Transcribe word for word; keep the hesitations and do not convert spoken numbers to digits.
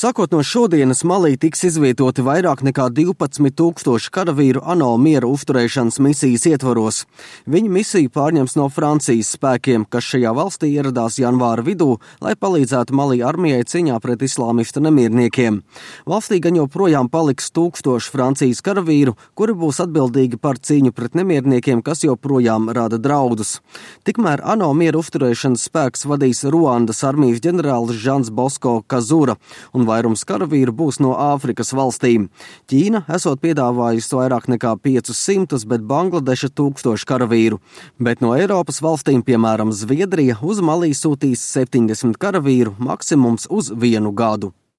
Sākot no šodienas Malī tiks izvietoti vairāk nekā divpadsmit tūkstoši karavīru ANO miera uzturēšanas misijas ietvaros. Viņi misiju pārņems no Francijas spēkiem, kas šajā valstī ieradās janvāra vidū, lai palīdzētu Malī armijai cīņā pret islāmista nemierniekiem. Valstī gan joprojām paliks tūkstoši Francijas karavīru, kuri būs atbildīgi par cīņu pret nemierniekiem, kas joprojām rada draudus. Tikmēr ANO miera uzturēšanas spēks vadīs Ruandas armijas ģenerālis Žans Bosko Kazura, un vairums karavīru būs no Āfrikas valstīm. Ķīna esot piedāvājusi vairāk nekā piecus simtus, bet Bangladeša tūkstoši karavīru. Bet no Eiropas valstīm, piemēram Zviedrija, uz Malī sūtīs septiņdesmit karavīru, maksimums uz vienu gadu.